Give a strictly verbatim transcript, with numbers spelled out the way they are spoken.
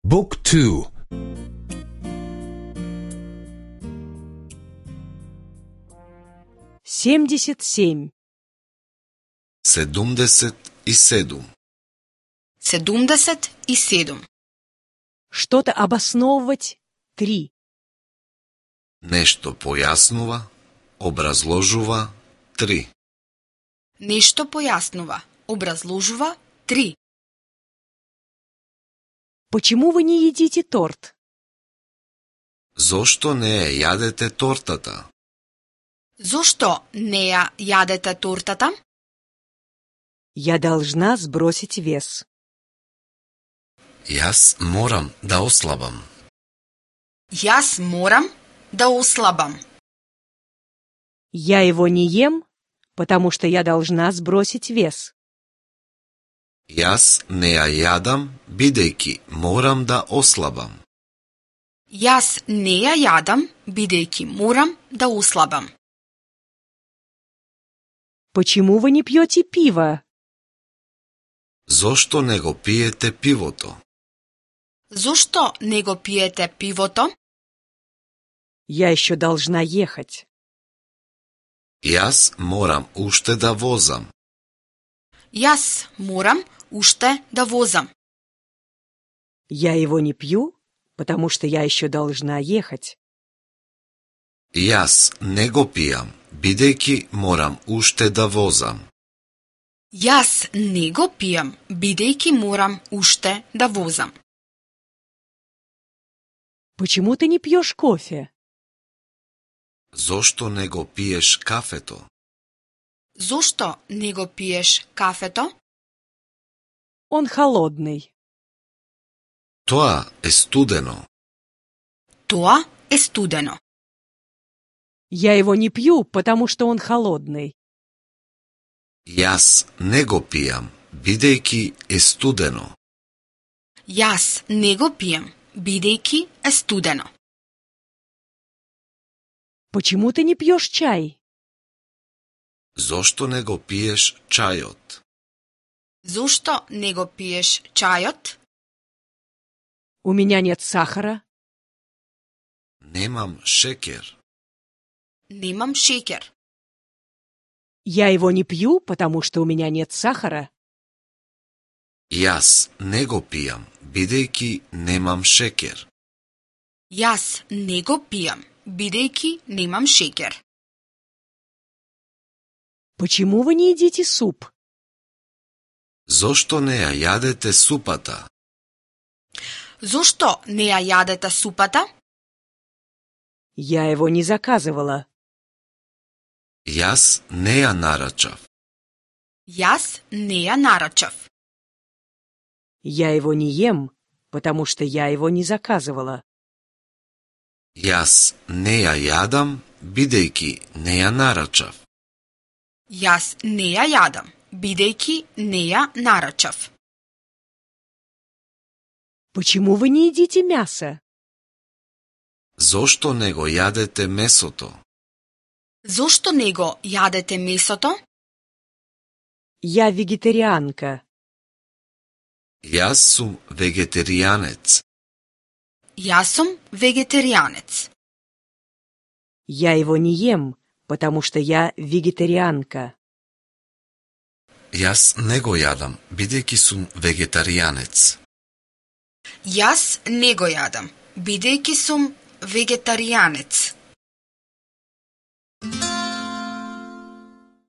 Book two. семьдесят семь. седумдесет и седум. седумдесет и седум. Что-то обосновывать — три. Нешто појаснува, образложува, три. Нешто појаснува, образложува, три. Почему вы не едите торт? Зошто не ја јадете тортата? Зошто не ја јадете тортата? Я должна сбросить вес. Јас морам да ослабам. Јас морам да ослабам. Я его не ем, потому что я должна сбросить вес. Јас не ја јадам, бидејќи морам да ослабам. Јас не ја јадам, бидејќи морам да ослабам. Почему вы не пьете пиво? Зошто не го пиете пивото? Зошто не го пиете пивото? Я еще должна ехать. Јас морам уште да возам. Јас морам уште да возам. Я его не пью, потому что я еще должна ехать. Јас не го пијам, бидејќи морам уште да возам. Јас не го пијам, бидејќи морам уште да возам. Почему ты не пьешь кофе? Зошто не го пиеш кафето? Зошто не го пиеш кафето? Он холодный. Тоа е студено. Тоа е студено. Я его не пью, потому что он холодный. Јас не го пијам, бидејќи е студено. Јас не го пијам, бидејќи е студено. Почему ты не пьешь чай? Зошто не го пиеш чајот? Зошто не го пиеш чајот? У меня нет сахара. Немам шекер. Немам шекер. Я его не пью, потому что у меня нет сахара. Јас не го пијам, бидејќи немам шекер. Јас не го пијам, бидејќи немам шекер. Почему вы не едите суп? Зошто не ја јадете супата? Зошто не ја јадете супата? Я его не заказывала. Јас не ја нарачав. Јас не ја нарачав. Я его не ем, потому что я его не заказывала. Јас не ја јадам, бидејќи не ја нарачав. Јас не ја јадам, бидејќи не ја нарачав. Почему вы не едите мясо? Зошто не го јадете месото? Зошто не го јадете месото? Я вегетарианка. Јас сум вегетаријанец. Јас сум вегетаријанец. Я его не ем, потому что я вегетарианка. Јас не го јадам, бидејќи сум вегетаријанец. Јас не го јадам, бидејќи сум вегетаријанец.